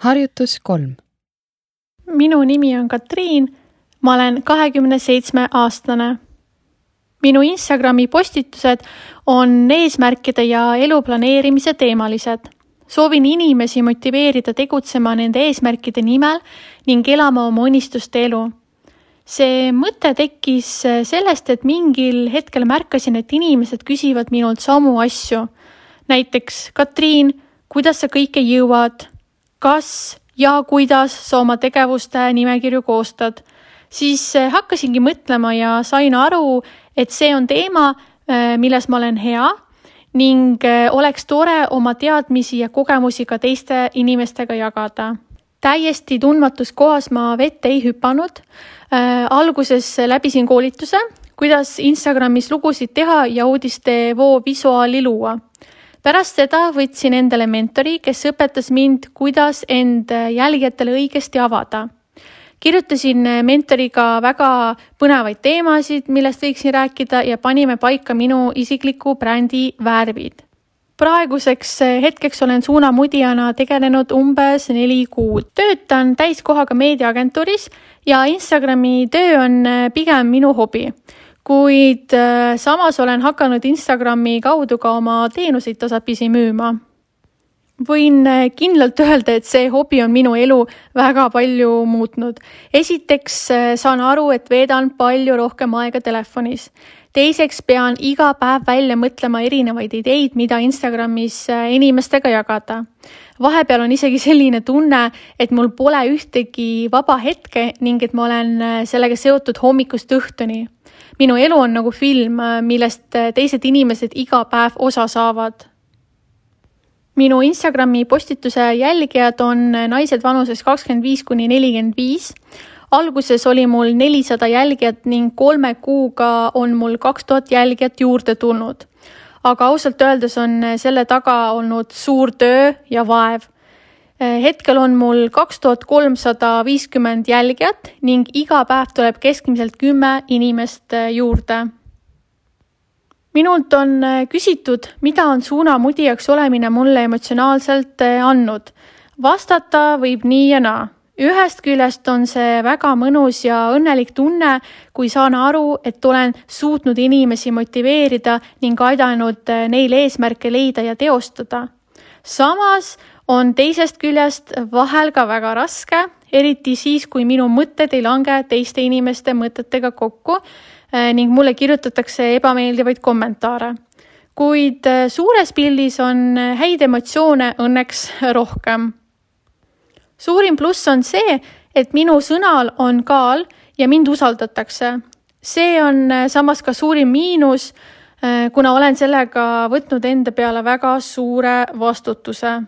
Harjutus 3. Minu nimi on Katriin, ma olen 27-aastane. Minu Instagrami postitused on eesmärkide ja elu planeerimise teemalised. Soovin inimesi motiveerida tegutsema nende eesmärkide nimel ning elama oma unistuste elu. See mõte tekkis sellest, et mingil hetkel märkasin, et inimesed küsivad minult samu asju. Näiteks, Katriin, kuidas sa kõike jõuad? Kas ja kuidas sa oma tegevuste nimekirju koostad? Siis hakkasingi mõtlema ja sain aru, et see on teema, milles ma olen hea ning oleks tore oma teadmisi ja kogemusi ka teiste inimestega jagada. Täiesti tundmatus kohas ma vette ei hüpanud. Alguses läbisin koolituse, kuidas Instagramis lugusid teha ja uudistevoo visuaali luua. Pärast seda võtsin endale mentori, kes õpetas mind, kuidas end jälgijatele õigesti avada. Kirjutasin mentoriga väga põnevaid teemasid, millest võiksin rääkida ja panime paika minu isikliku brändi värvid. Praeguseks hetkeks olen suunamudijana tegelenud umbes 4 kuud. Töötan täiskohaga meediaagentuuris ja Instagrami töö on pigem minu hobi. Kuid samas olen hakanud Instagrami kaudu ka oma teenuseid tasapisi müüma. Võin kindlalt öelda, et see hobi on minu elu väga palju muutnud. Esiteks saan aru, et veedan palju rohkem aega telefonis. Teiseks pean iga päev välja mõtlema erinevaid ideid, mida Instagramis inimestega jagada. Vahepeal on isegi selline tunne, et mul pole ühtegi vaba hetke ning et ma olen sellega seotud hommikust õhtuni. Minu elu on nagu film, millest teised inimesed iga päev osa saavad. Minu Instagrami postituse jälgijad on naised vanuses 25–45. Alguses oli mul 400 jälgijat ning 3 kuuga on mul 2000 jälgijat juurde tulnud. Aga ausalt öeldes on selle taga olnud suur töö ja vaev. Hetkel on mul 2350 jälgijat ning iga päev tuleb keskmiselt 10 inimest juurde. Minult on küsitud, mida on suunamudijaks olemine mulle emotsionaalselt andnud. Vastata võib nii ja naa. Ühest küljest on see väga mõnus ja õnnelik tunne, kui saan aru, et olen suutnud inimesi motiveerida ning aidanud neil eesmärke leida ja teostada. Samas on teisest küljest vahel ka väga raske, eriti siis, kui minu mõtted ei lange teiste inimeste mõtetega kokku ning mulle kirjutatakse ebameeldivaid kommentaare. Kuid suures pildis on häid emotsioone õnneks rohkem. Suurim pluss on see, et minu sõnal on kaal ja mind usaldatakse. See on samas ka suurim miinus, kuna olen sellega võtnud enda peale väga suure vastutuse.